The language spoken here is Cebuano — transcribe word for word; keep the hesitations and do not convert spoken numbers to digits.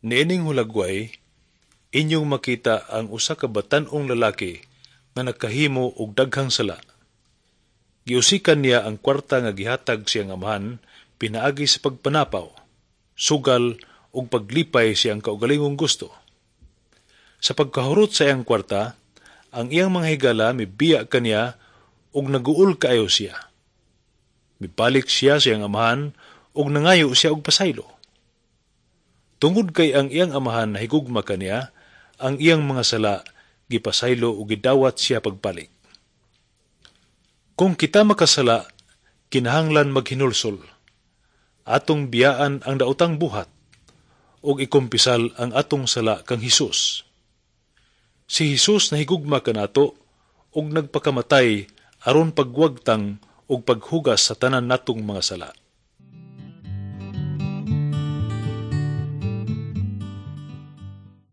Niining hulagway, inyong makita ang usa ka batan-ong lalaki nga nakahimo og daghang sala. Giusikan niya ang kwarta nga gihatag siyang amahan pinaagi sa pagpanapaw, sugal ug paglipay siyang kaugalingong gusto. Sa pagkahurot sa iyang kwarta, ang iyang mga higala mibiya kaniya ug naguol kaayo siya. Mibalik siya sa iyang amahan ug nangayo siya og pasaylo. Tungod kay ang iyang amahan nahigugma kaniya, ang iyang mga sala gipasaylo ug gidawat siya pagbalik. Kung kita makasala, kinahanglan maghinulsol. Atong biyaan ang daotang buhat ug ikumpisal ang atong sala kang Hesus. Si Hesus nahigugma kanato ug nagpakamatay aron pagwagtang ug paghugas sa tanan natong mga sala.